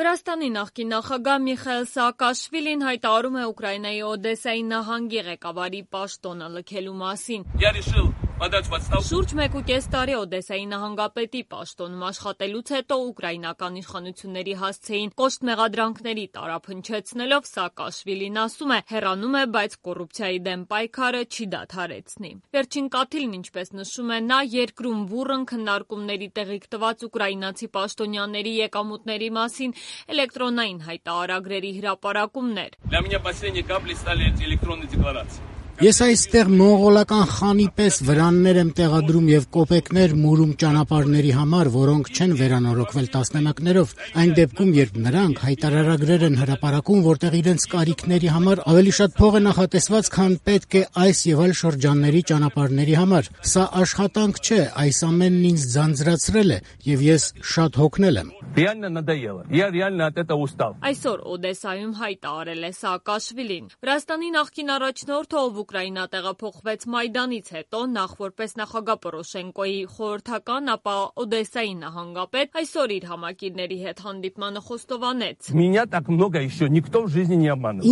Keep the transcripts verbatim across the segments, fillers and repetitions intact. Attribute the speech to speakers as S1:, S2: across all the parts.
S1: Վրաստանի նախկին նախագահ Միխայիլ Սաակաշվիլին հայտարարում է Ուկրաինայի Օդեսայի նահանգի ղեկավարի պաշտոնը լքելու մասին։ Շուրջ մեկ ու կես տարի Օդեսայի նահանգապետի պաշտոնում աշխատելուց հետո ուկրաինական իշխանությունների հասցեին կոշտ մեղադրանքների տարափ հնչեցնելով Սաակաշվիլին ասում է, հեռանում է, բայց կոռուպցիայի դեմ պայքարը չի դադարեցնի։ Վերջին կաթիլն, ինչպես նշում է նա, երկրում բուռն քննարկումների տեղիք տված ուկրաինացի պաշտոնյաների եկամուտների մասին էլեկտրոնային հայտարարագրերի հրապարակումն էր։
S2: Ես այստեղ մոնղոլական խանի պես վրաններ եմ տեղադրում եւ կոպեկներ մուրում ճանապարհների համար, որոնք չեն վերանորոգվել տասնամյակներով, այն դեպքում, երբ նրանք հայտարարագրեր են հրապարակում, որտեղ իրենց կարիքների համար ավելի շատ փող է նախատեսված, քան պետք է այս եւ այլ շրջանների ճանապարհների համար։ Սա աշխատանք չէ, այս ամենն ինձ ձանձրացրել է եւ ես շատ հոգնել եմ։
S1: Այսօր Օդեսայում հայտարարել է Սաակաշվիլին։ Վրաստանի նախկին առաջնորդը, ով Ուկրաինա տեղափոխվեց Մայդանից հետո, նախ որպես նախագահ Պորոշենկոյի խորհրդական, ապա Օդեսայի նահանգապետ, այսօր իր համակիրների հետ հանդիպմանը խոստովանեց.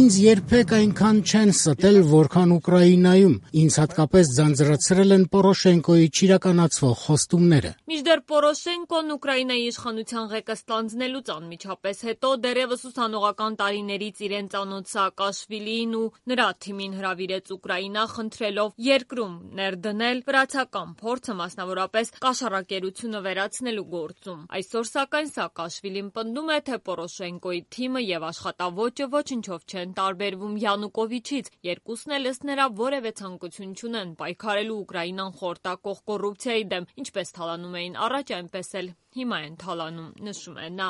S2: Ինձ երբեք այնքան չեն ստել, որքան Ուկրաինայում։ Ինձ հատկապես ձանձրացրել են Պորոշենկոյի չիրականացվող խոստումները։
S1: Մինչդեռ Պորոշենկոն Ուկրաինայի իշխանության ղեկը ստանձնելուց անմիջապես հետո դեռևս ուսանողական տարիներից իրեն ծանոթ Սաակաշվիլիին ու նրա թիմին հրավիրեց Ուկրաինա, խնդրելով երկրում ներդնել վրացական փորձը, մասնավորապես կաշառակերությունը վերացնելու գործում։ Այսօր սակայն Սաակաշվիլին պնդում է, թե Պորոշենկոյի թիմը եւ աշխատավոճը ոչնչով չեն տարբերվում Յանուկովիչից, երկուսն էլ ըստ նրա որևէ ցանկություն չունեն պայքարելու Ուկրաինան խորտակող կոռուպցիայի դեմ, ինչպես թալանում էին առաջ, այնպես էլ հիմա են թալանում, նշում է նա։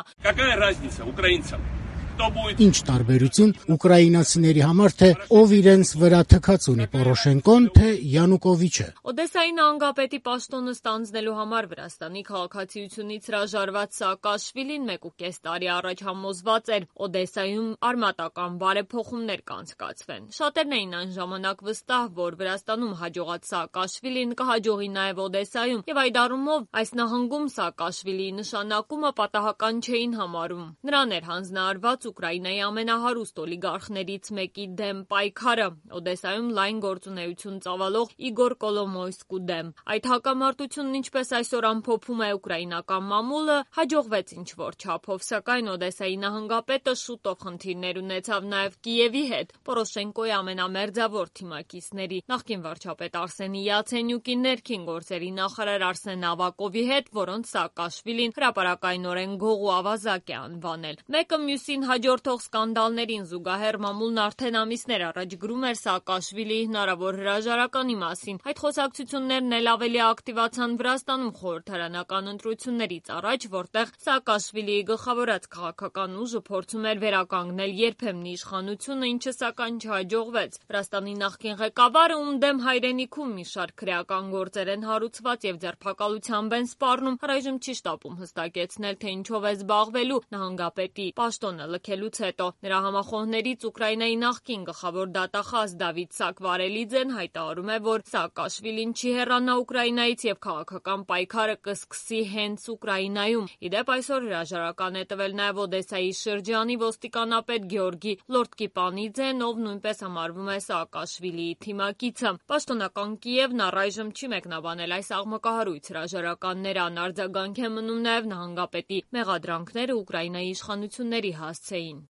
S2: Ինչ տարբերություն ուկրաինացիների համար, թե ով իրենց վրա թքած ունի Պորոշենկոն, թե Յանուկովիչը։
S1: Օդեսայի նահանգապետի պաշտոնը ստանձնելու համար Վրաստանի քաղաքացիությունից հրաժարված Սաակաշվիլին մեկ ու կես տարի առաջ համոզված էր Օդեսայում արմատական բարեփոխումներ կանցկացվեն։ Շատերն էին այն ժամանակ վստահ, որ Վրաստանում հաջողած Սաակաշվիլին կհաջողի նաև Օդեսայում, եւ այդ առումով այս նահանգում Սաակաշվիլիի նշանակումը պատահական չէին համարում։ Նրան էր հանձնարարված Ուկրաինայի ամենահարուստ օլիգարխներից մեկի դեմ պայքարը, Օդեսայում լայն գործունեություն ծավալող Իգոր Կոլոմոյսկու դեմ։ Այդ հակամարտությունն, ինչպես այսօր ամփոփում է ուկրաինական մամուլը, հաջողվեց ինչ-որ չափով, սակայն Օդեսայի նահանգապետը շուտով խնդիրներ ունեցավ նաև Կիևի հետ, Պորոշենկոյի ամենամերձավոր թիմակիցների, նախկին վարչապետ Արսենի Յացենյուկի, ներքին գործերի նախարար Արսեն Ավակովի հետ, որոնց Սաակաշվիլին հրապարակայնորեն գող ու ավազակ է անվանել։ Մեկը մյուսին հաջորդող սկանդալներին զուգահեռ մամուլն արդեն ամիսներ առաջ գրում էր Սաակաշվիլիի հնարավոր հրաժարականի մասին։ Այդ խոսակցություններն էլ ավելի ակտիվացան Վրաստանում խորհրդարանական ընտրություններից առաջ, որտեղ Սաակաշվիլիի գլխավորած քաղաքական ուժը փորձում էր վերականգնել երբեմնի իշխանությունը, ինչը սակայն չհաջողվեց։ Վրաստանի նախկին ղեկավարը, ում դեմ հայրենիքում մի շարք քրեական գործեր են հարուցված եւ ձերբակալությամբ են սպառնում, առայժմ չի շտապում հստակեցնել, թե ինչով է զբաղվելու նահանգապետի պաշտոնը լքելուց հետո։ Նրա համախոհներից Ուկրաինայի նախկին գլխավոր դատախազ Դավիթ Սակվարելիձեն հայտարարում է, որ Սաակաշվիլին չի հեռանա Ուկրաինայից եւ քաղաքական պայքարը կսկսի հենց Ուկրաինայում։ Իդեպ այսօր հրաժարական է տվել նաեւ Օդեսայի շրջանի ոստիկանապետ Գեորգի Լորդկիպանիձեն, ով նույնպես համարվում է Սաակաշվիլիի թիմակիցը։ Պաշտոնական Կիևն առայժմ չի մեկնաբանել այս աղմկահարույց հրաժարականները, անարձագանք է մնում նաեւ նահանգապետի մեղադրանքները Ուկրաինայի իշխանությունների հասցեին։